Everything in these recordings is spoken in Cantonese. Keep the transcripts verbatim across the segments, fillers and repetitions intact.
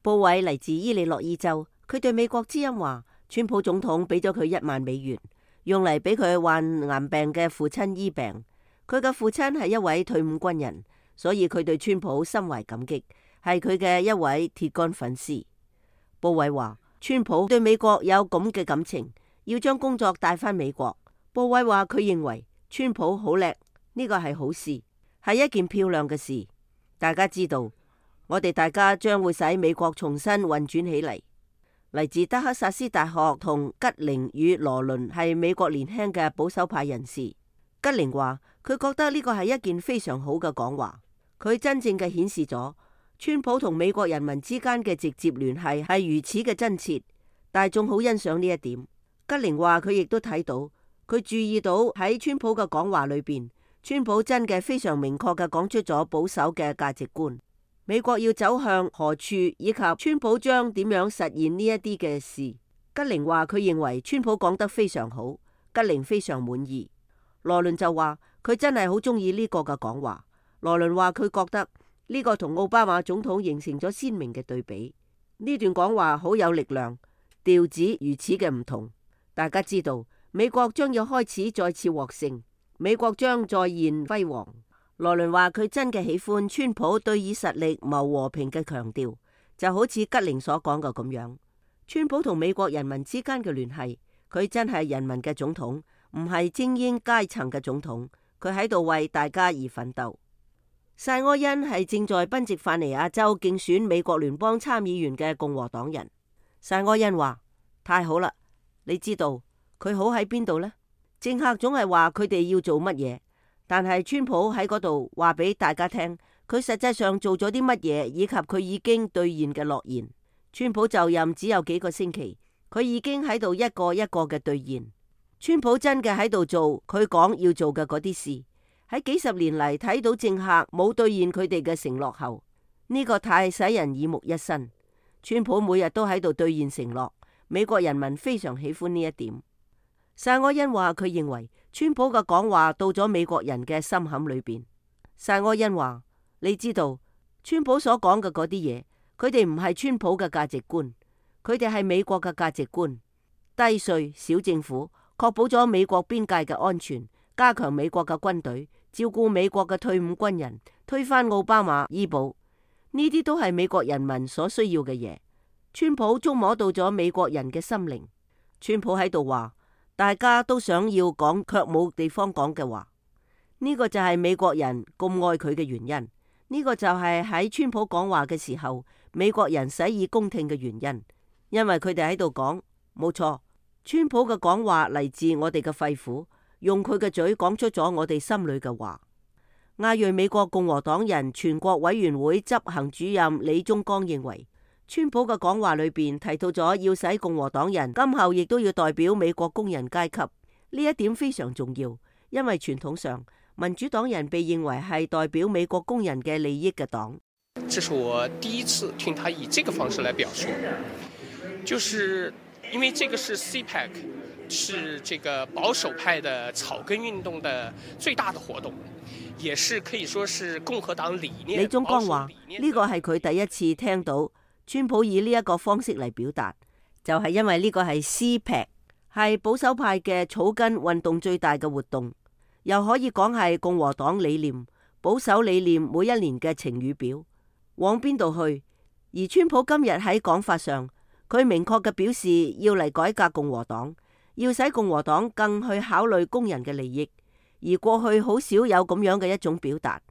布韋嚟自伊利諾伊州，佢對美國之音話，川普總統俾咗佢一萬美元，用嚟俾佢患癌病嘅父親醫病。佢嘅父親係一位退伍軍人，所以佢對川普心懷感激，係佢嘅一位鐵桿粉絲。布韋話，川普對美國有咁嘅感情，要將工作帶返美國。布韋話佢認為川普好叻，呢個係好事，係一件漂亮嘅事。大家知道，我哋大家將會使美國重新運轉起嚟。嚟自德克薩斯大學同吉寧與羅倫係美國年輕嘅保守派人士。吉寧話佢覺得呢個係一件非常好嘅講話，佢真正嘅顯示咗川普同美國人民之間嘅直接聯繫係如此嘅真切，大眾好欣賞呢一點。吉寧話佢亦都睇到，佢注意到喺川普嘅講話裏邊，川普真嘅非常明確嘅講出咗保守嘅價值觀，美國要走向何處，以及川普將點樣實現呢一啲嘅事。吉寧話佢認為川普講得非常好，吉寧非常滿意。羅倫就話佢真係好中意呢個嘅講話。羅倫話佢覺得呢個同奧巴馬總統形成咗鮮明嘅對比。呢段講話好有力量，調子如此嘅唔同。大家知道美國將要開始再次獲勝，美國將再現輝煌。羅倫話佢真嘅喜歡川普對以實力謀和平嘅強調，就好似吉寧所講嘅咁樣。川普同美國人民之間嘅聯繫，佢真係人民嘅總統，唔係精英階層嘅總統，佢喺度為大家而奮鬥。薩柯恩係正在賓夕法尼亞州競選美國聯邦參議員嘅共和黨人。薩柯恩話：太好啦，你知道佢好喺邊度呢？政客總係話佢哋要做乜嘢，但係川普喺嗰度話俾大家聽，佢實際上做咗啲乜嘢，以及佢已經兌現嘅諾言。川普就任只有幾個星期，佢已經喺度一個一個嘅兌現。川普真嘅喺度做佢講要做嘅嗰啲事。喺幾十年嚟睇到政客冇兌現佢哋嘅承諾後，呢個太使人耳目一新。川普每日都喺度兌現承諾，美國人民非常喜歡呢一點。薩柯恩話佢認為川普嘅講話到咗美國人嘅心坎裏邊。薩柯恩話：你知道川普所講嘅嗰啲嘢，佢哋唔係川普嘅價值觀，佢哋係美國嘅價值觀。低稅、小政府，確保咗美國邊界嘅安全，加強美國嘅軍隊，照顧美國嘅退伍軍人，推翻奧巴馬醫保，呢啲都係美國人民所需要嘅嘢。川普觸摸到咗美國人嘅心靈。川普喺度話，大家都想要講，卻冇地方講嘅話。呢個就係美國人咁愛佢嘅原因。呢個就係喺川普講話嘅時候，美國人洗耳恭聽嘅原因。因為佢哋喺度講，冇錯，川普嘅講話嚟自我哋嘅肺腑。用佢嘅嘴講出咗我哋心裏嘅話。亞裔美國共和黨人全國委員會執行主任李宗剛認為，川普嘅講話裏邊提到咗要使共和黨人今後亦都要代表美國工人階級，呢一點非常重要，因為傳統上民主黨人被認為係代表美國工人嘅利益嘅黨。這是我第一次聽他以這個方式來表述，就是因為這個是 C PAC。是這個保守派的草根運動的最大的活動，也是可以說是共和黨理念。李宗剛話呢個係佢第一次聽到川普以呢一個方式嚟表達，就係因為呢個係 C PAC，係保守派嘅草根運動最大嘅活動，又可以講係共和黨理念、保守理念每一年嘅晴雨表，往邊度去。而川普今日喺講法上，佢明確嘅表示要嚟改革共和黨。要使共和黨更去考慮工人嘅利益，而過去好少有咁樣嘅一種表達。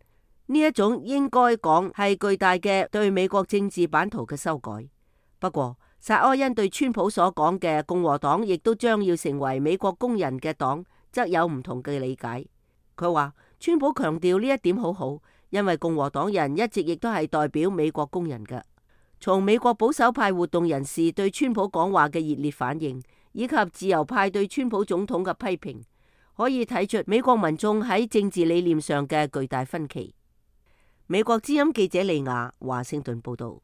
呢一種應該講係巨大嘅對美國政治版圖嘅修改。不過，薩柯恩對川普所講嘅共和黨亦都將要成為美國工人嘅黨，則有唔同嘅理解。佢話川普強調呢一點好好，因為共和黨人一直亦都係代表美國工人嘅。從美國保守派活動人士對川普講話嘅熱烈反應，以及自由派對川普總統嘅批評，可以睇出美國民眾喺政治理念上嘅巨大分歧。美國之音記者利亞華盛頓報道。